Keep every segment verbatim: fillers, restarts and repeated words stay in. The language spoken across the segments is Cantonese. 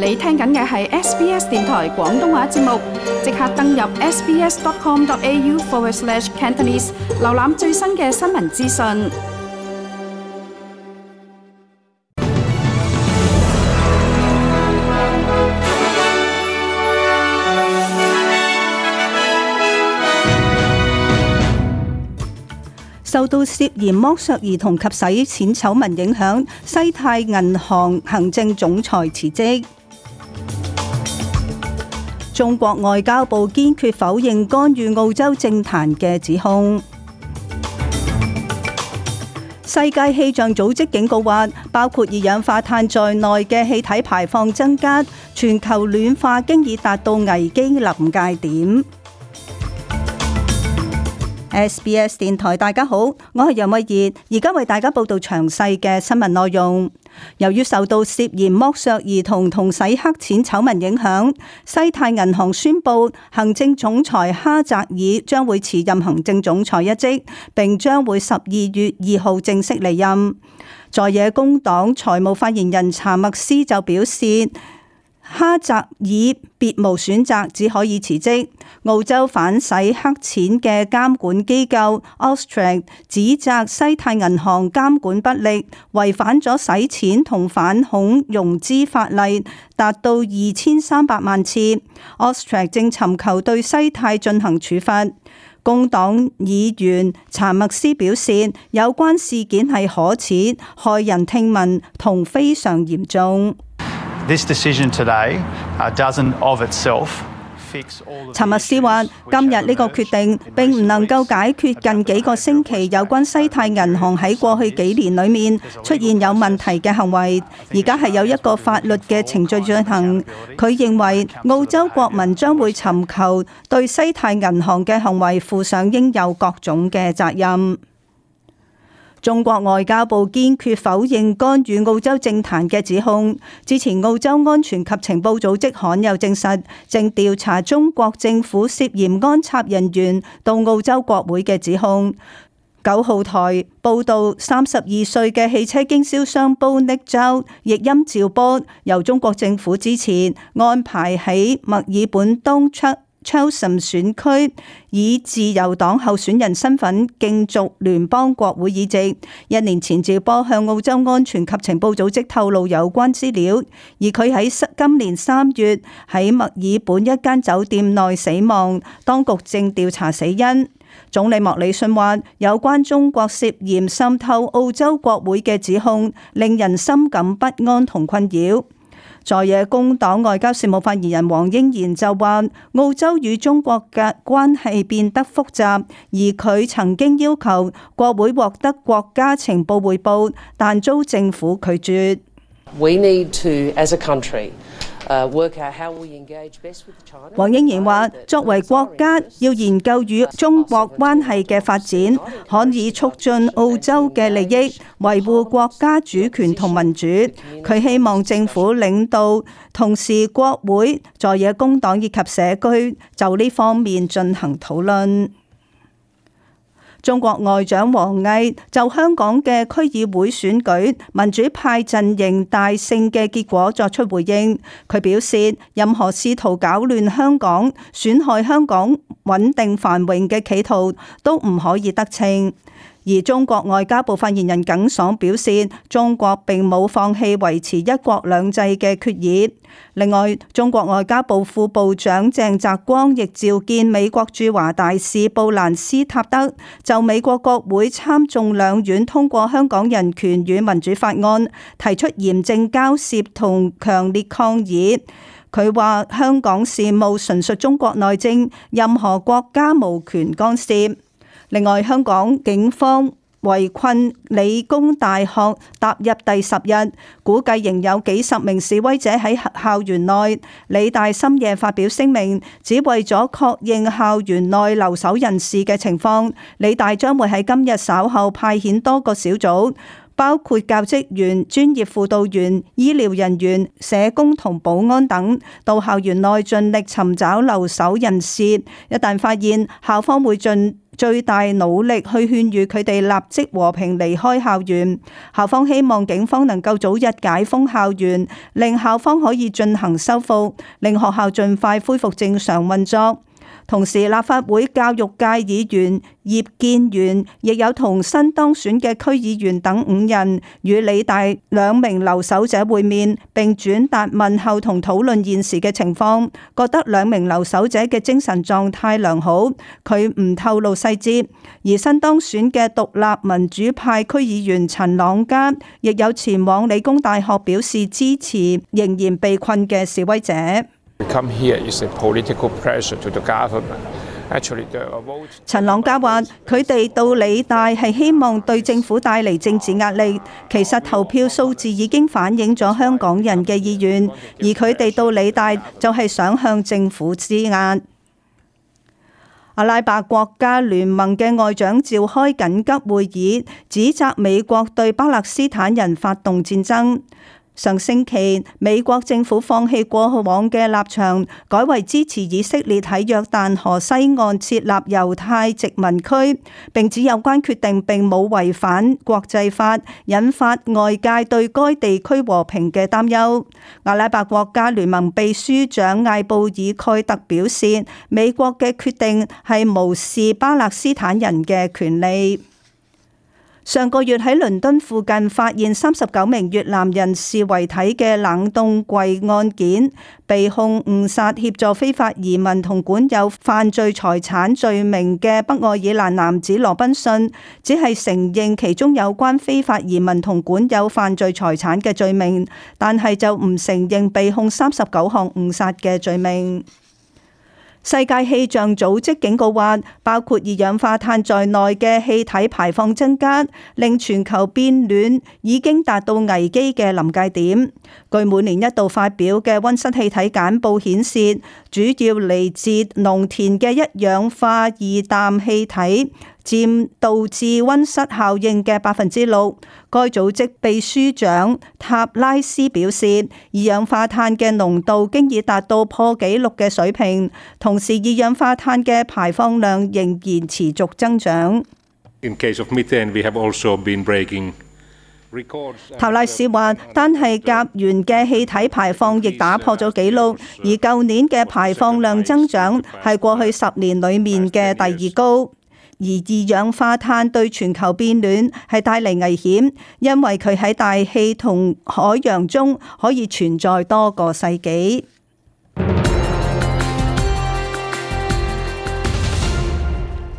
你聽緊嘅係 S B S 電台廣東話節目，即刻登入 sbs.com.au forward slash Cantonese， 瀏覽最新嘅新聞資訊。受到涉嫌剝削兒童及洗錢醜聞影響，西太銀行行政總裁辭職。中國外交部堅決否認干預澳洲政壇嘅指控。世界氣象組織警告話，包括二氧化碳在內嘅氣體排放增加，全球暖化經已達到危機臨界點。S B S 電台，大家好，我係楊慧儀，而家為大家報道詳細嘅新聞內容。由於受到涉嫌剝削兒童同洗黑錢醜聞影響，西太銀行宣布行政總裁哈澤爾將會辭任行政總裁一職，並將會十二月二號正式離任。在野工黨財務發言人查默斯就表示，哈澤爾別無選擇，只可以辭職。澳洲反洗黑錢嘅監管機構 Austrac 指責西太銀行監管不力，違反咗洗錢同反恐融資法例，達到二千三百萬次。Austrac 正尋求對西太進行處罰。工黨議員查默斯表示，有關事件係可恥、駭人聽聞同非常嚴重。This decision today, uh, doesn't of itself fix all the 查默斯話：今日呢個決定並唔能夠解決近幾個星期有關西太銀行喺過去幾年裏面出現有問題嘅行為，而家係有一個法律嘅程序進行。佢認為澳洲國民將會尋求對西太銀行嘅行為負上應有各種嘅責任。中國外交部堅決否認干預澳洲政壇嘅指控。之前澳洲安全及情報組織罕有證實，正調查中國政府涉嫌安插人員到澳洲國會嘅指控。九號台報道，三十二歲嘅汽車經銷商 Bonick Zhou 譯音趙波，由中國政府支持安排喺墨爾本東出Cheltenham 選區以自由黨候選人身份競逐聯邦國會議席。一年前，趙波向澳洲安全及情報組織透露有關資料，而佢喺今年三月喺墨爾本一間酒店內死亡，當局正調查死因。總理莫里遜話，有關中國涉嫌滲透澳洲國會嘅指控，令人深感不安同困擾。在野工黨外交事務發言人黃英賢就話，澳洲與中國嘅關係變得複雜，而佢曾經要求國會獲得國家情報彙報，但遭政府拒絕。We need to, as a country, uh, work out how we engage best with China. 黃英賢話，作為國家要研究與中國關係嘅發展，可以促進澳洲嘅利益，維護國家主權同民主。佢希望政府領導同時國會、在野工黨以及社區就呢方面進行討論。中國外長王毅就香港嘅區議會選舉民主派陣營大勝嘅結果作出回應。佢表示，任何試圖搞亂香港、損害香港穩定繁榮嘅企圖都唔可以得逞。而中國外交部發言人耿爽表示，中國並冇放棄維持一國兩制嘅決議。另外，中國外交部副部長鄭澤光亦召見美國駐華大使布蘭斯塔德，就美國國會參眾兩院通過香港人權與民主法案提出嚴正交涉同強烈抗議。佢話香港事務純屬中國內政，任何國家無權干涉。另外，香港警方圍困理工大學踏入第十日，估計仍有幾十名示威者喺校園內。理大深夜發表聲明，只為咗確認校園內留守人士嘅情況，理大將會喺今日稍後派遣多個小組，包括教職員、專業輔導員、醫療人員、社工同保安等，到校園內盡力尋找留守人士。一旦發現，校方會盡最大努力去勸喻佢哋立即和平離開校園。校方希望警方能夠早日解封校園，令校方可以進行修復，令學校盡快恢復正常運作。同時，立法會教育界議員葉建源亦有同新當選嘅區議員等五人與理大兩名留守者會面，並轉達問候同討論現時嘅情況，覺得兩名留守者嘅精神狀態良好。佢唔透露細節。而新當選嘅獨立民主派區議員陳朗嘉亦有前往理工大學表示支持仍然被困嘅示威者。陳朗嘉話：佢哋到理大係希望對政府帶嚟政治壓力，其實投票數字已經反映咗香港人嘅意願，而佢哋到理大就係想向政府施壓。阿拉伯國家聯盟嘅外長召開緊急會議，指責美國對巴勒斯坦人發動戰爭。上星期，美國政府放棄過往嘅立場，改為支持以色列喺約旦河西岸設立猶太殖民區，並指有關決定並冇違反國際法，引發外界對該地區和平嘅擔憂。阿拉伯國家聯盟秘書長艾布爾蓋特表示，美國嘅決定係無視巴勒斯坦人嘅權利。上個月喺倫敦附近發現三十九名越南人士遺體嘅冷凍櫃案件，被控誤殺、協助非法移民同管有犯罪財產罪名嘅北愛爾蘭男子羅賓遜，只係承認其中有關非法移民同管有犯罪財產嘅罪名，但係就唔承認被控三十九項誤殺嘅罪名。世界氣象組織警告話，包括二氧化碳在內嘅氣體排放增加，令全球變暖已經達到危機嘅臨界點。據每年一度發表嘅溫室氣體簡報顯示，主要嚟自農田嘅一氧化二氮氣體佔導致溫室效應嘅百分之六。該組織秘書長塔拉斯表示，二氧化碳嘅濃度經已達到破紀錄嘅水平，同時二氧化碳嘅排放量仍然持續增長。In case of methane, we have also been breaking records. 塔拉斯話，單係甲烷嘅氣體排放亦打破咗紀錄，而舊年嘅排放量增長係過去十年裡面嘅第二高。而二氧化碳對全球變暖係帶嚟危險，因為佢喺大氣同海洋中可以存在多個世紀。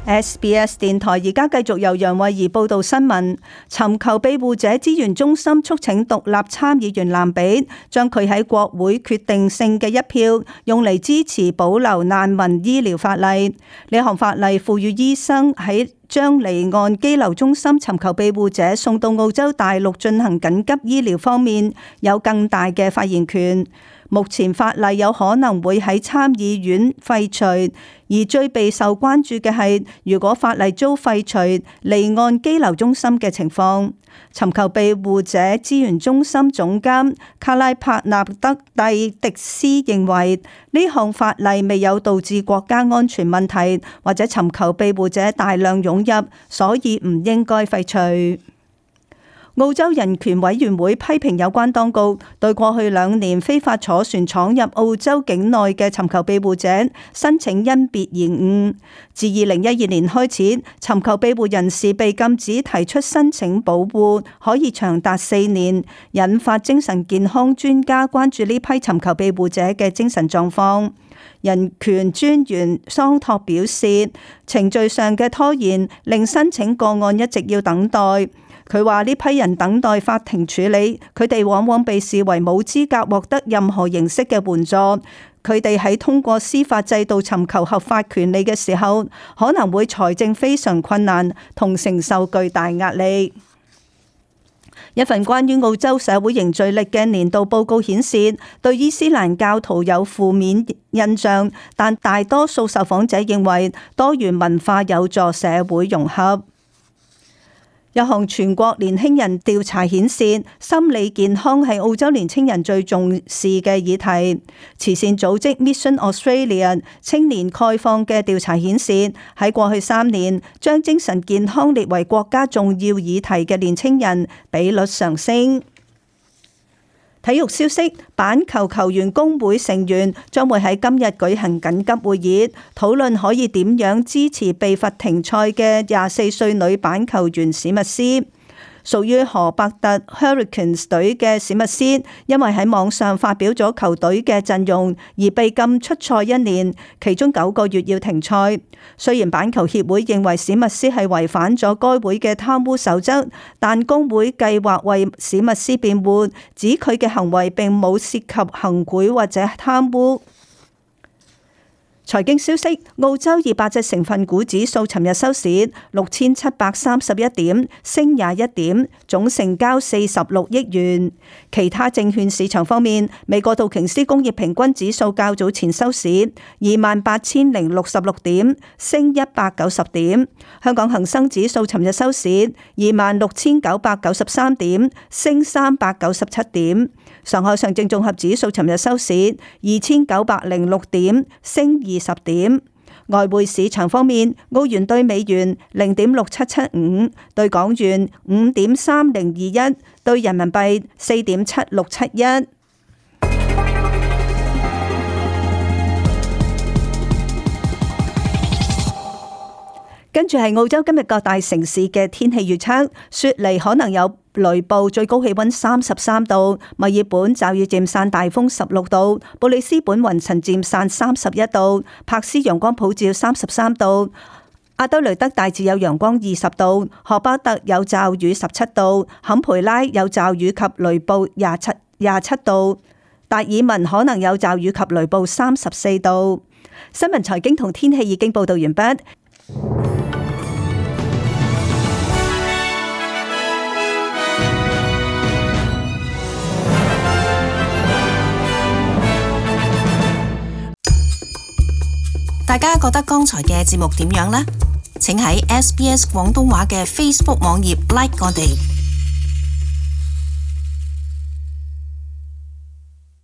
S B S 電台而家繼續由楊慧儀報道新聞。尋求庇護者資源中心促請獨立參議員蘭比將佢喺國會決定性嘅一票用嚟支持保留難民醫療法例。呢項法例賦予醫生喺將離岸羈留中心尋求庇護者送到澳洲大陸進行緊急醫療方面有更大嘅發言權。目前法例有可能會喺參議院廢除，而最備受關注嘅係如果法例遭廢除，離岸羈留中心嘅情況。尋求庇護者資源中心總監卡拉帕納德蒂迪斯認為，呢項法例未有導致國家安全問題或者尋求庇護者大量湧入，所以唔應該廢除。澳洲人權委員會批評有關當局對過去兩年非法坐船闖入澳洲境內嘅尋求庇護者申請因別延誤。自二零一二年開始，尋求庇護人士被禁止提出申請保護，可以長達四年，引發精神健康專家關注呢批尋求庇護者嘅精神狀況。人權專員桑托表示，程序上嘅拖延令申請個案一直要等待。佢話呢批人等待法庭處理，佢哋往往被視為冇資格獲得任何形式嘅援助。佢哋喺通過司法制度尋求合法權利嘅時候，可能會財政非常困難，同承受巨大壓力。一份關於澳洲社會凝聚力嘅年度報告顯示，對伊斯蘭教徒有負面印象，但大多數受訪者認為多元文化有助社會融合。有項全國年輕人調查顯示，心理健康係澳洲年輕人最重視嘅議題。慈善組織 Mission Australia 青年概況嘅調查顯示，喺過去三年，將精神健康列為國家重要議題嘅年輕人比率上升。體育消息，板球球員工會成員將會喺今日舉行緊急會議，討論可以點樣支持被罰停賽嘅廿四歲女板球員史密斯。屬於荷伯特 Hurricanes 隊嘅史密斯，因為喺網上發表咗球隊嘅陣容而被禁出賽一年，其中九個月要停賽。雖然板球協會認為史密斯係違反咗該會嘅貪污守則，但工會計劃為史密斯辯護，指佢嘅行為並冇涉及行賄或者貪污。財經消息，澳洲二百隻成分股指數尋日收市六千七百三十一點，升廿一點，總成交四十六億元。其他證券市場方面，美國道瓊斯工業平均指數較早前收市二萬八千零六十六點，升一百九十點。香港恒生指數尋日收市二萬六千九百九十三點，升三百九十七點。上海上證綜合指數尋日收市二千九百零六點，升二十點。外匯市場方面，澳元兌美元零點六七七五，兌港元五點三零二一，兌人民幣四點七六七一。跟住係澳洲今日各大城市嘅天氣預測，雪梨可能有雷暴，最高氣溫三十三度；墨爾本驟雨漸散，大風十六度；布里斯本雲層漸散，三十一度；柏斯陽光普照，三十三度；阿德雷德大致有陽光，二十度；荷巴特有驟雨，十七度；坎培拉有驟雨及雷暴，廿七廿七度；達爾文可能有驟雨及雷暴，三十四度。新聞財經同天氣已經報道完畢。大家覺得剛才嘅節目點樣呢？請喺 S B S 廣東話嘅 Facebook 網頁 like 我哋。